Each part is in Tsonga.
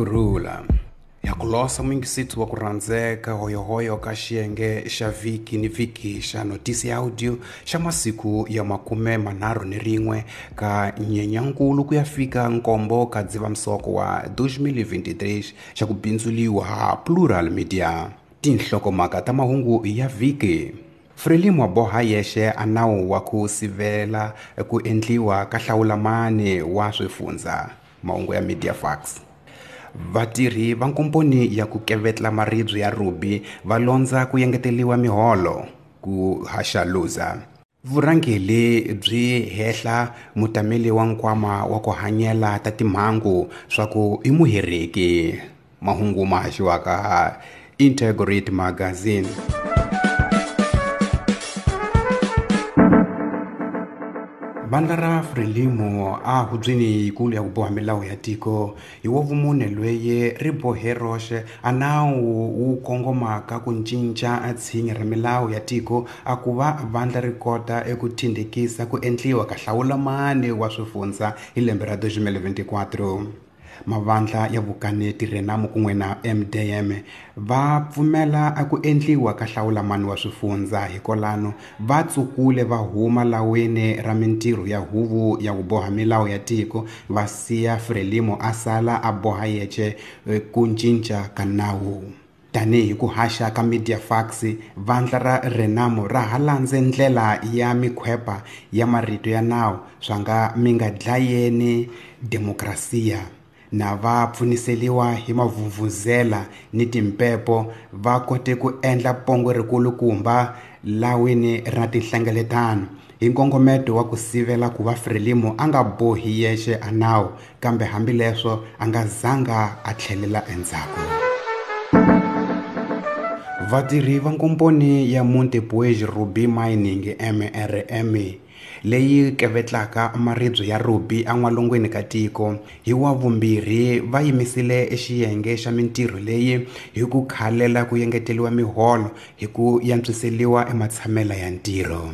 Kurhula ya ku losa muyingisitsi wa ku rhandzeka hoyohoyo ka xiyenge xa vhiki ni vhiki xa notisi ya audio xa masiku ya 31 ka Nyenyankulu ku ya fika 7 ka Dzivamisoko wa 2023 xa ku bindzuliwa ha Plural Media. Tinhlokomhaka ta mahungu ya vhiki. Frelimo boha yexe a nawu wa ku sivela ku endliwa ka hlawulamani wa swifundza. Mahungu ya Media Fax. Vatirhi va nkomponi ya ku kevetla maribye ya ruby va londza ku yengeteliwa miholo ku haxa Luza. Vurhangeri byi hehla mutameli wa nkwama wa ku hanyela ta timhangu swa ku i muhereki. Mahungu ma haxiwaka Integrate Magazine. Vandla ra Frelimo a hubyeni yikulu ya ku boha milawu ya tiko hi wa vumune lweye ri bohe roxe a nawu wu kongomaka ku cinca tshinya ra milawu ya tiko a ku va vandla ri kota eku thindekisa ku endliwa ka hlawulamani wa swifundza hi lembe ra 2024. Mavandla ya vukaneti Renamo kun'we na MDM va pfumela a ku endliwa ka hlawulamani wa swifundza hikolano va tsukule va huma laweni ra mintirho ya huvo ya ku boha milawu ya tiko va siya Frelimo a sala a boha yexe ku cinca ka nawu. Tanihi ku haxa ka Media Fax, vandla ra Renamo ra ha landze ndlela ya mikhwepa ya marito ya nawu swa nga mi nga dlayeni demokrasiya. Na va pfuniseliwa hi mavhuvhuzela ni timpepo va kote ku endla pongo rikulukumba lawini ra tinhlengeletano hi nkongometo wa ku sivela ku va Frelimo a nga bohi yexe a nawu, kambe hambileswo a nga zanga a tlhelela endzhaku. Vatirhi va nkomponi ya Montepuez Ruby Mining MRM leyi kevetlaka maribye ya ruby en'walungwini ka tiko hi wa vumbirhi va yimisile xiyenge xa mintirho leyi hi ku khalela ku yengeteliwa miholo hi ku yantswiseliwa ematshamela ya ntirho.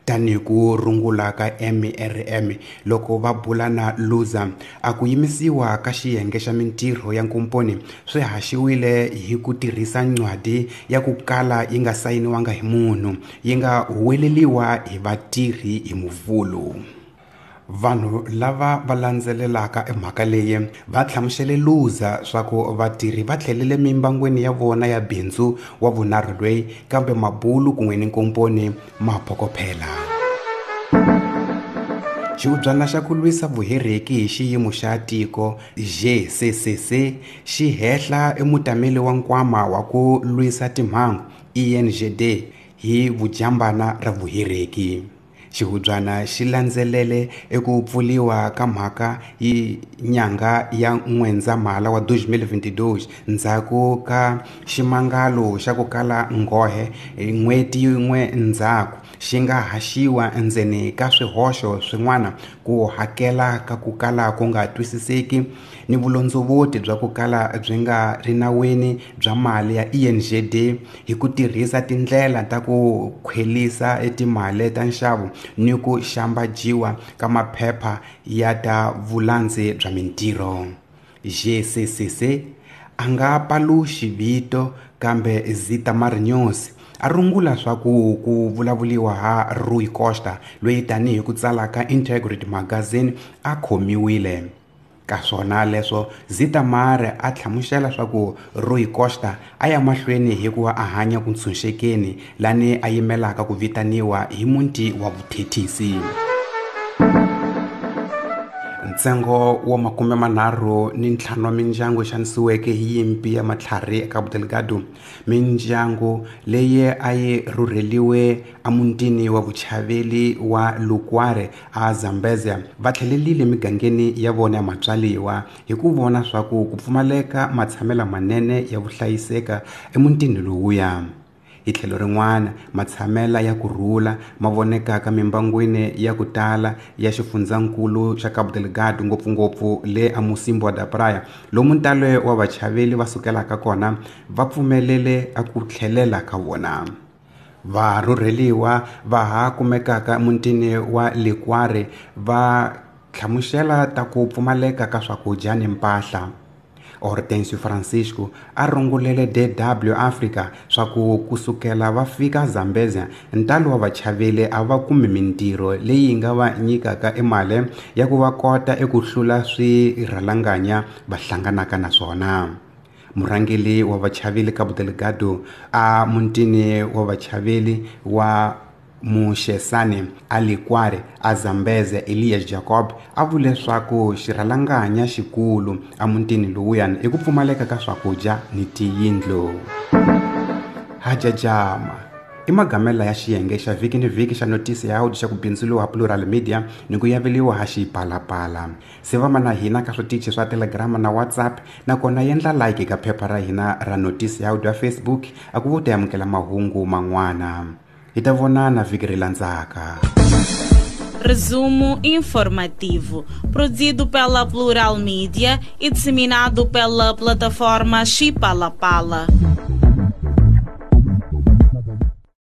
Tanihi ku rungula ka MRM loko va bula na Luza, a ku yimisiwa ka xiyenge xa mintirho ya nkomponi swi haxiwile hi ku tirhisa ncwadi ya ku kala yi nga sayiniwanga hi munhu, yi nga huweleliwa hi vatirhi hi Muvhulu. Vanhu lava va landzelelaka emhaka leyi va hlamusele Luza swa ku vatirhi va tlhelele mimbangwini ya vona ya bindzu wa vunharhu lweyi, kambe mabulu kun'we ni nkomponi ma phokophela. Xihubyana xa ku lwisa vuhereki hi xiyimo xa tiko GCCC xi hehla emutameli wa nkwama wa ku lwisa timhangu ENGD hi vujambana ra vuhereki. Xihubyana xi landzelele eku pfuliwa ka mhaka hi nyanga ya N'wendzamhala wa 2022 ndzhaku ka ximangalo xa ku kala nghohe n'hweti yin'we ndzhaku xi nga haxiwa endzeni ka swihoxo swin'wana ku hakela ka ku kala ku nga twisiseki ni vulondzovoti bya ku kala byi nga ri nawini bya mali ya ENGD hi ku tirhisa tindlela ta ku khwelisa timali ta nxavo ni ku xambajiwa ka maphepha ya ta vulandzi bya mintirho. GCCC a nga paluxi vito kambe Zita Marinyosi a rungula swa ku ku vulavuliwa ha Rui Costa loyi tanihi ku tsala ka Integrity Magazine a khomiwile. Ka swona leswo Zita Mare a hlamusela swa ku Rui Costa a ya mahlweni hi ku va a hanya ku ntshunxekeni lani a yimelaka ku vitaniwa hi muti wa vuthethisi. Ntsengo wa 35 wa mindyangu xanisiweke hi yimpi ya matlhari eka Cabo Delgado, mindyangu leyi a yi rhurheliwe emutini wa vuchaveli wa Lukware a Zambezia va tlhelelile migangeni ya vona ya matswaliwa hi ku vona swa ku ku pfumaleka matshamela manene ya vuhlayiseka emutini lowuya. Hi tlhelo rin'wana, matshamela ya ku rhula ma vonekaka mimbangwini ya ku tala ya xifundzankulu xa Cabo Delgado, ngopfungopfu le aMocímboa da Praia, lomu ntalo wa vachaveli va sukelaka kona va pfumelele a ku tlhelela ka vona. Varhurheliwa va ha kumekaka emutini wa Likware va hlamusela ta ku pfumaleka ka swakudya ni mpahla. Hortêncio Francisco a rungulele DW Africa swa ku kusukela va fika Zambezia ntalo wa vachaveli a va kumi mintirho leyi nga va nyikaka emali ya ku va kota eku hlula swirhalanganya va hlanganaka na swona. Murhangeri wa vachaveli Cabo Delgado a mutini wa vachaveli wa Muxesani a Likware a Zambezia Elias Jacob a vule leswaku xirhalanganya xikulu emutini lowuyani i ku pfumaleka ka swakudya ni tiyindlu. Hajajama i magamela ya xiyenge xa vhiki ni vhiki xa notisi ya audio xa ku bindzuriwa Plural Media ni ku yaveliwa ha Xipalapala. Sivama na hina ka switichi swa Telegram na WhatsApp nakona yendla like ka phepha ra hina ra notisi ya audio ya Facebook a ku vo ta amukela mahungu man'wana. Hi ta vonana vhiki ri landzaka. Resumo informativo, produzido pela Plural Mídia e disseminado pela plataforma Xipalapala.